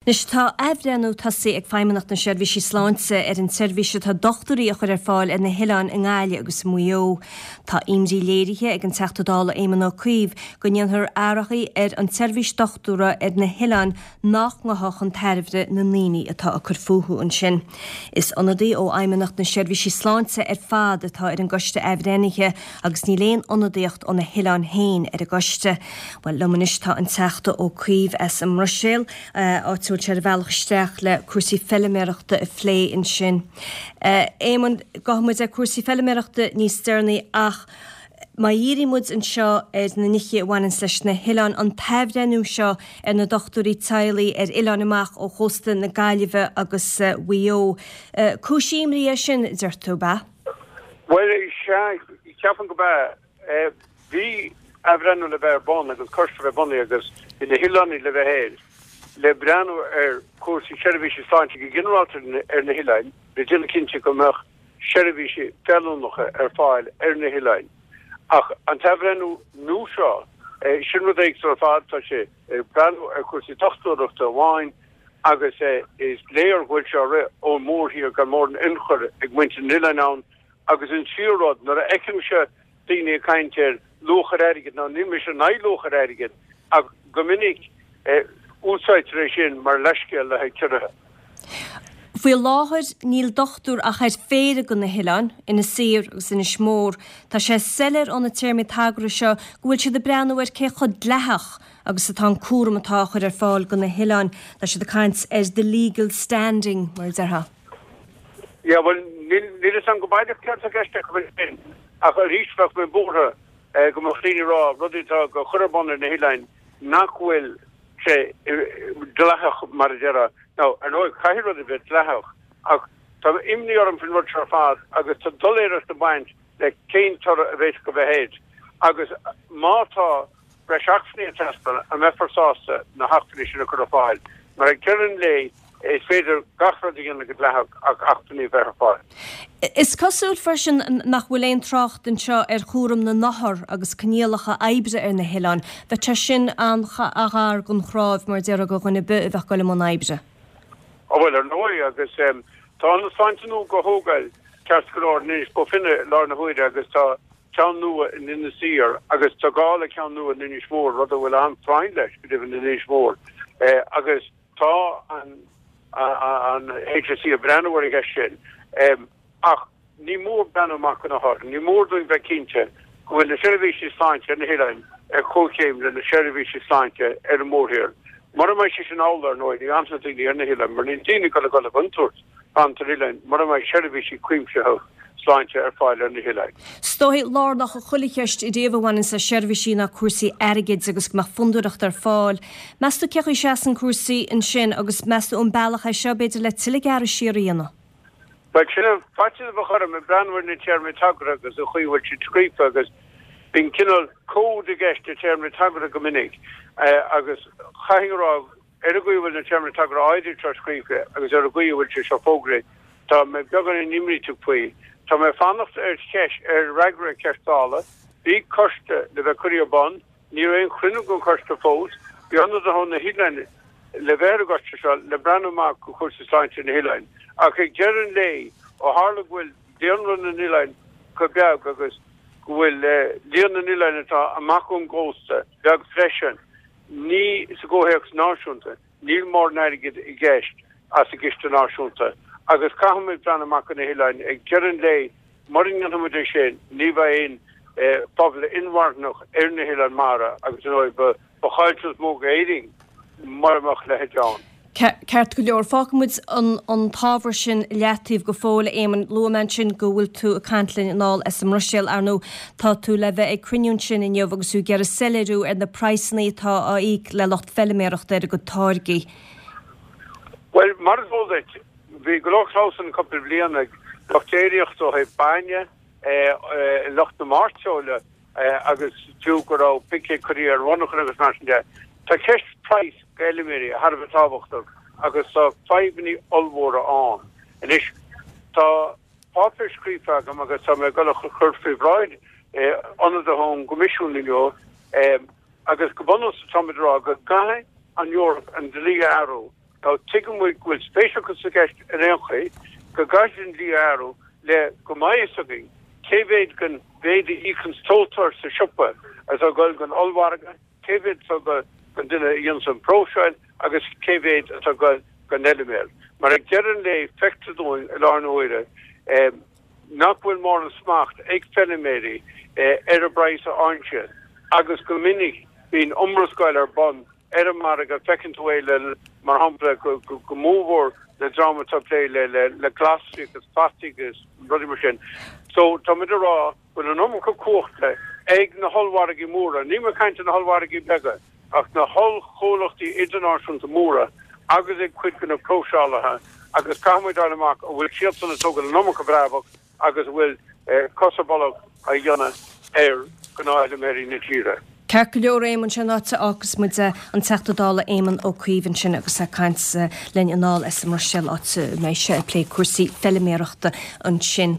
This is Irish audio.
Anois tá athbhreithniú tosaithe ag Feidhmeannacht na Seirbhísí Sláinte ar an tseirbhís atá dochtúirí a chur ar fáil ar na hoileáin i nGaillimh agus i Maigh Eo. Tá imní léirithe ag an Teachta Dála Éamon Ó Cuív go ndéanfar athruithe ar an tseirbhís dochtúra ar na hoileáin nach ngabhfaidh chun tairbhe na ndaoine atá ag cur fúthu ansin. Is ionadaí ó Fheidhmeannacht na Seirbhísí Sláinte ar fad atá ar an gcoiste athbhreithnithe agus níl aon ionadaíocht ó na hoileáin féin ar an gcoiste. Bhuel, liom anois tá an Teachta Ó Cuív as an mBruiséil, áit a bhfuil sé ar a bhealach isteach le cúrsaí feiliméarachta a phlé ansin. Éamonn, gabhfaidh muid ar cúrsaí feiliméarachta níos deireanaí ach má dhíríonn muid anseo ar na nithe a bhaineanns leis na hoileáin, an t-athbhreithniú seo ar na dochtúirí teaghlaigh ar oileáin amach ó chósta na Gaillimhe agus Mhaigh Eo, cúis imní é sin, deir tú, ab ea? Bhuel, sea, ceapaim go b'ea. Bhí athbhreithniú le bheith ar bun agus coiste le bheith bunaithe agus bhí na hoileánaigh le bheith air le breathnú ar chúrsaí seirbhísí sláinte go ginearálta ar na hoileáin le déanamh cinnte go mbeadh seirbhísí feiliúnacha ar fáil ar na hoileáin. Ach an t-athbhreithniú nua seo, sin rud éagsúil ar fad, tá sé ag breathnú ar chúrsaí dochtúireachta amháin agus is léir go bhfuil sé á rith ón mórthír gan mórán ionchur ag muintir na n-oileán ann agus an tríú rud, nuair a fheicimse daoine ag caint ar luach ar airgead, now níl mise in aghaidh luach ar airgead ach go minic úsáidtear é sin mar leithscéal le haghaidh ciorruithe. Faoi láthair níl dochtúir ach ar phéire de na hoileáin, Inis Oírr agus Inis Mór. Tá sé soiléir ó na téarmaí tagartha seo go bhfuil siad ag breathnú ar cé chomh dleathach agus atá an cúram atá á chur ar fáil do na hoileáin. Tá siad ag caint ar the legal standing, mar a déarfá. Yeah, bhuel, níl a fhios agam go baileach céard atá i gceist acu ansin, ach arís bheadh mé buartha go mbeadh daoine ag rá rudaí atá á gcur ar bun ar na hoileáin nach bhfuil sé dleathach, mar a déarfá. Now, ar ndóigh, caithfidh rudaí bheith dleathach, ach tá imní orm faoin rud seo ar fad agus tá doiléireacht ag baint le cén toradh a bheas go bheith air. Agus má tá breis acmhainní ag teastáil, an mbeifear sásta na hacmhainní sin a chur ar fáil? Mar ag deireadh an lae, is féidir gach rud a dhéanamh go dleathach ach acmhainní a bheith ar fáil. Is cosúil freisin nach bhfuil aon trácht anseo ar chúram na n-othar agus coinníollacha oibre ar na hoileáin. Bheadh sé sin an-ghar don chnámh, mar a déarfá, do dhuine ar bith a bheadh ag dul i mbun oibre. Ó bhuel, ar ndóigh, agus tá ionad sláinte nua á thógáil ceart go leor in Inis Bó Finne i láthair na huaire agus tá ceann nua in Inis Oírr agus tá gá le ceann nua in Inis Mór, rud a bhfuil an-phráinn leis, go deimhin, in Inis Mór. Agus tá an an HSE ag breathnú ar an gceist sin. Ach ní mór breathnú amach do na hothair. Ní mór dúinn bheith cinnte go bhfuil na seirbhísí sláinte ar na hoileáin ar comhchéim le na seirbhísí sláinte ar an mórthír. Mura mbeidh sé sin amhlaidh, ar ndóigh, ní fhanfaidh na daoine ar na hoileáin mar níl daoine ag dul a dhul i gcontúirt fanacht ar oileáin mura mbeidh seirbhísí cuimsitheach sláinte ar fáil ar na hoileáin. Is dóigh, lárnach i chuile cheist ariamh a bhaineanns le seirbhísí ná cúrsaí airgid agus go mbeadh fondúireacht ar fáil. Meas tú cé chaoi a seasann cúrsaí ansin agus meas tú an bealach é seo b'fhéidir le tuilleadh gearradh siar a dhéanamh? Bhuel, sin an faitíos a bheadh orm ag breathnú ar na téarmaí tagartha agus an chaoi a bhfuil siad scríofa agus bíonn cineál cód i gceist le téarmaí tagartha go minic agus chaithfinn a rá ar an gcaoi a bhfuil na téarmaí tagartha áirithe seo scríofa agus ar an gcaoi a bhfuil sé seo fógraithe, tá mé beagáinín imníteach faoi. Tá mé ag fanacht ar cheist, ar fhreagra ar cheist Dála. Bhí coiste le bheith curtha ar bun, ní raibh aon chruinniú den choiste fós. Bhí ionadaithe ó na hoileáin le bheith ar an gcoiste seo le breathnú amach do chúrsaí sláinte na hoileáin. Ach ag deireadh an lae, ó tharla go bhfuil daonra na n-oileán chomh beag agus go bhfuil líon na n-oileán atá amach ón gcósta beag freisin, Ní sa gcomhthéacs náisiúnta, níl mórán airgid i gceist as an gciste náisiúnta agus caithfimid breathnú amach do na hoileáin. Ag deireadh an lae, mura ndéanfaimid é sin, ní bheidh aon phobal inmharthanach ar na hoileáin mara agus ar ndóigh ba chaillteanas mór d'Éirinn mura mbeadh a leithéid ann. Ceart go leor, fágfaidh muid an t-ábhar sin leataobh go fóill, a Éamoinn. Luaigh mé ansin go bhfuil tú ag caint linn anall as an mBruiséil. Ar ndóigh, tá tú le bheith ag cruinniú ansin inniu agus tú ag iarraidh soiléiriú ar na praghsanna atá á íoc le lucht feiliméarachta ar a gcuid táirgí. Bhuel, mar is eol duit, bhí go leor clamhsán cúpla bliain ag lucht déiríochta ó thaobh bainne, lucht na mairteola, agus fiú go raibh picéid curtha ar mhonarchana agus mar sin de. Tá ceist praghas d'fheilméaraí thar a bheith tábhachtach agus tá fadhbanna ollmhóra ann. Anois, tá páipéar scríofa agam agus tá mé ag dul a chur faoi bhráid ionadaithe ón gCoimisiún inniu agus go bunúsach táimid ag rá go gcaithfidh an Eoraip an dlí a athrú. Now tuigeann muid go bhfuil spéis acu sa gceist ar aon chaoi, go gcaithfidh an dlí a athrú le go mbeidh fhios againn cé mhéad den mhéid a íocann tomhaltóir sa siopa atá ag dul don ollmhargadh, cé mhéad atá ag dul don duine a dhéananns an próiseáil agus cé mhéad atá ag dul don fheiliméar. Mar ag deireadh an lae feictear dúinn i láthair na huaire nach bhfuil mórán smacht ag feiliméaraí ar an bpraghas a fhaigheann siad agus go minic bíonn iomrascáil ar bun ar an margadh, feiceann tú é le, mar shampla, go mórmhór le dream atá ag plé le glasraí agus fataí agus rudaí mar sin. So táimid ag rá go bhfuil an iomarca cumhachta ag na hollmhargaí móra, níl mé ag caint ar na hollmhargaí beaga, ach na hollchomhlachtaí idirnáisiúnta móra agus ag cuid de na próiseálaithe agus caithfidh muid fháil amach an bhfuil siadsan ag tógáil an iomarca brabach agus an bhfuil cos ar bolg á dhéanamh ar ghnáthfheiliméaraí na tíre. Ceart go leor, Éamonn, sin an áit a fhágfas muid an Teachta Dála Éamon Ó Cuív ansin agus é ag caint linn anall as an mBruiséil áit a mbeidh sé ag plé cúrsaí feiliméarachta ansin.